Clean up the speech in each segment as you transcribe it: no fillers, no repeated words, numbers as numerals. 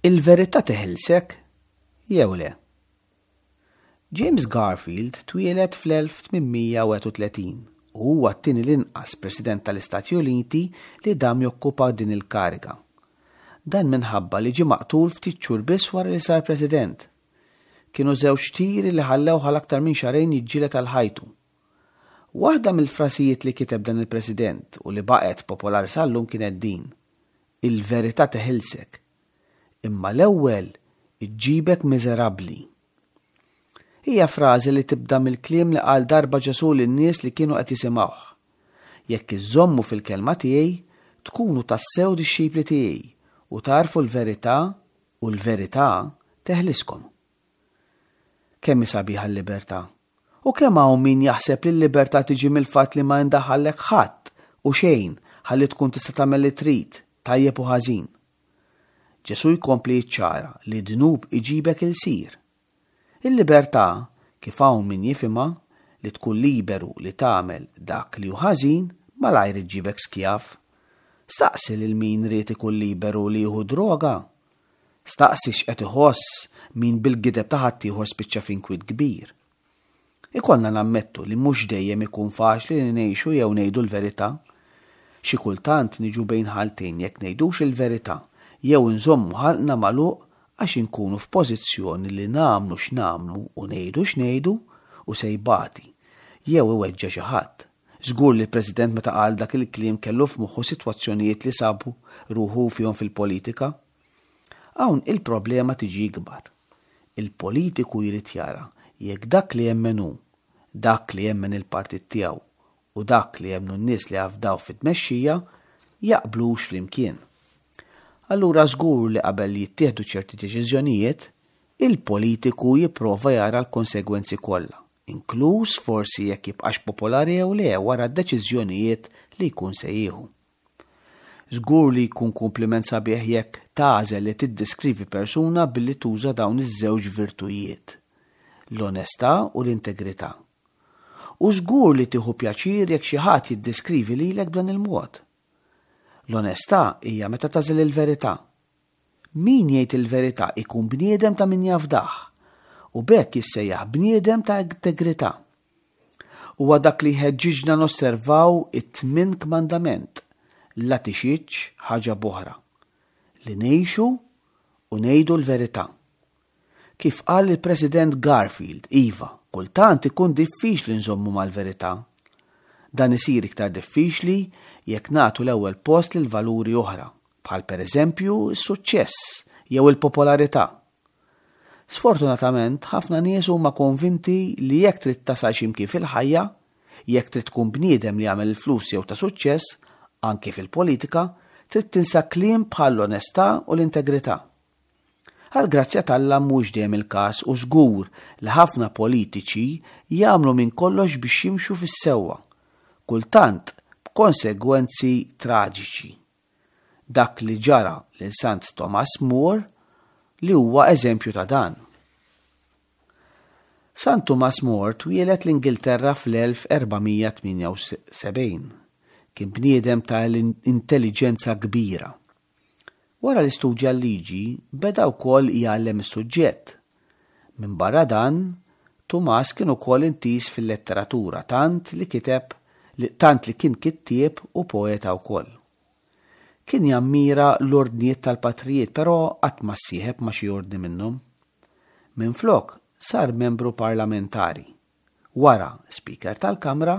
Il-verità teħilsek jew le? James Garfield twieled fl-1831 u huwa t-tieni l-inqas President tal-Istati Uniti li dam jokkupa din il-kariga. Dan minħabba li ġie maqtul ftit xhur biss wara li sar President. Kienu żewġ tiri li ħallewh għal aktar minn xahrejn jiġġieled għal ħajtu. Waħda mill-frasijiet li kiteb dan il-President u li baqgħet popolari sal-lum kienet din, Il-verità teħilsek, imma l-ewwel iġġibek miżerabbli. Hija frażi li tibda mill-kliem li qal darba Ġesù lin-nies li kienu qed jisimgħuh. Jekk iżżommu fil-kelma tiegħi, tkunu tassew dixxipli tiegħi u tagħrfu l-verità u l-verità teħliskom. Kemm hi sabiħa l-libertà! U kemm hawn min jaħseb li l-libertà tiġi mill-fatt li ma jindaħallek ħadd u xejn ħalli tkun tista' tagħmel li trid, tajjeb u ħażin. Ġesù jkompli jiċċara li d-dnub iġibek ilsir. Il-libertà, kif hawn min jifhimha, li tkun liberu li tagħmel dak li hu ħażin, malajr iġġibek skjav. Staqsi lil min ried ikun liberu li jieħu droga. Staqsi x'qed iħoss min bil-gideb ta' ħaddieħor spiċċa f'inkwiet kbir. Ikollna nammettu li mhux dejjem ikun faċli li ngħixu jew ngħidu l-verità. Xi kultant niġu bejn ħaltejn jekk ngħidux il-verità jew inżommu ħalqna magħluq għax inkunu f'pożizzjoni li nagħmlu x'nagħmlu u ngħidu x'ngħidu u se jbati jew iweġġa' xi ħadd. Żgur li l-President meta qal dak il-kliem kellu f'moħħu sitwazzjonijiet li sabu ruħu fihom fil-politika. Hawn il-problema tiġi ikbar. Il-politiku jrid jara jekk dak li jemmen hu, dak li jemmen il-partit tiegħu u dak li jemmnu n-nies li jafdaw fit-tmexxija jaqblux flimkien. Allura żgur li qabel jittieħdu ċerti deċiżjonijiet, il-politiku jipprova jara l-konsegwenzi kollha inkluż forsi jekk jibqax popolari jew le wara d-deċiżjonijiet li jkun se jieħu. Żgur li jkun kumpliment sabiħ jekk tagħżel li tiddiskrivi persuna billi tuża dawn iż-żewġ virtujiet, l-onestà u l-integrità. U żgur li tieħu pjaċir jekk xi ħadd jiddiskrivi lilek b'dan il-mod. L-onestà hija meta tagħżel il-verità. Min jgħid il-verità ikun bniedem ta' min jafdah, u b'hekk jissejjaħ bniedem ta' integrità. Huwa dak li jħeġġiġna nosservaw it-tmien kmandament, la tixhidx ħaġa b'oħra, li ngħixu u ngħidu l-verità. Kif qal il-President Garfield, iva, kultant ikun diffiċli nżommu mal-verità. Dan isir iktar diffiċli jekk nagħtu l-ewwel post lil valuri oħra, bħal pereżempju s-suċċess jew il-popolarità. Sfortunatament, ħafna nies huma konvinti li jekk trid tasal xi mkien fil-ħajja, jekk trid tkun bniedem li jagħmel il-flus jew ta' suċċess, anki fil-politika, trid tinsa kliem bħall-onestà u l-integrità. Għall-grazzja t'Alla mhux dejjem il-każ u żgur li ħafna politiċi jagħmlu minn kollox biex jimxu fis-sewwa, kultant b'konsegwenzi traġiċi. Dak li ġara lil Sant Thomas More li huwa eżempju ta' dan. San Tumas More twieled l-Ingilterra fl-1478. Kien bniedem ta' intelliġenza kbira. Wara li studja l-liġi, beda wkoll jgħallem is-suġġett. Minbarra dan, Tumas kien ukoll intiż fil-letteratura tant li kiteb li tant li kien kittieb u poeta wkoll. Kien jammira l-ordnijiet tal-patrijiet però qatt ma ssieħeb ma' xi ordni minnhom. Minflok, sar membru parlamentari. wara Speaker tal-Kamra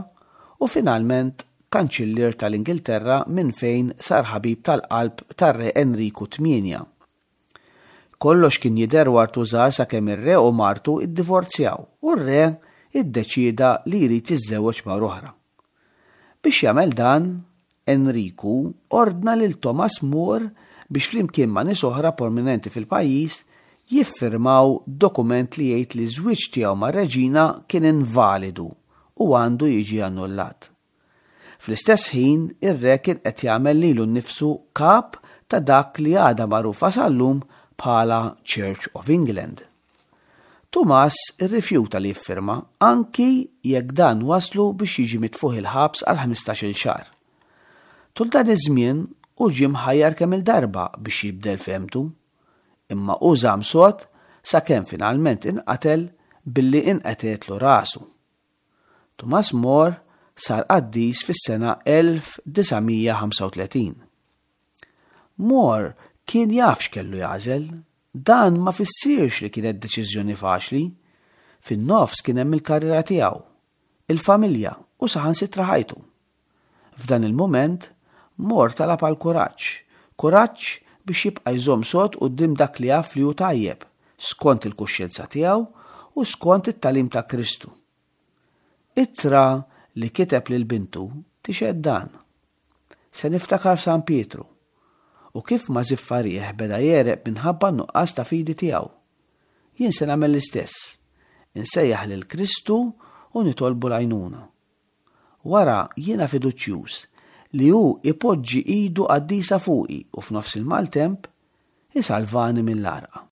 u finalment Kanċillier tal-Ingilterra minn fejn sar ħabib tal-qalb tar-Re Enriku Tmienja. Kollox kien jidher wartu żgħar sakemm ir-Re u martu ddivorzjaw u r-Re iddeċieda li jrid jiżżewweġ mara oħra. Biex jagħmel dan, Enriku ordna lil Thomas More biex flimkien ma' nies oħra prominenti fil-pajjiż jiffirmaw dokument li jgħid li ż-żwieġ tiegħu mar-reġina kien invalidu u għandu jiġi annullat. Fl-istess ħin, ir-re kien qed jagħmel lilu nnifsu kap ta' dak li għadha magħrufa sal-lum bħala Church of England. Tumas irrifjuta li jiffirma, anki jekk dan wasslu biex jiġi mitfugħ il-ħabs għal ħmistax-il xahar. Tul dan iż-żmien, hu ġie mħajjar kemm-il darba biex jibdel fehmtu. Imma hu żamm sod sakemm finalment inqatel billi inqetgħetlu rasu. Tumas More sar qaddis fis-sena 1935. More kien jaf x'kellu jagħżel. Dan ma fissirx li kienet deċiżjoni faċli. Fin-nofs kien hemm il-karriera tiegħu, il-familja u saħansitra ħajtu. F'dan il-mument, Moore talab għal kuraġġ, kuraġġ biex jibqa' jżomm sod quddiem dak li jaf li hu tajjeb, skont il-kuxjenza tiegħu u skont it-tagħlim ta' Kristu. Ittra li kiteb lil bintu tixhed dan. Se niftakar f'San Pietru u kif ma żiffa riħ beda jegħreq minħabba n-nuqqas ta' fidi tiegħu. Jien se nagħmel l-istess, insejjaħ lil Kristu u nitolbu l-għajnuna. Wara jiena fiduċjuż li hu ipoġġi idu qaddisa fuqi u f'nofs il-maltemp isalvani mill-għarqa.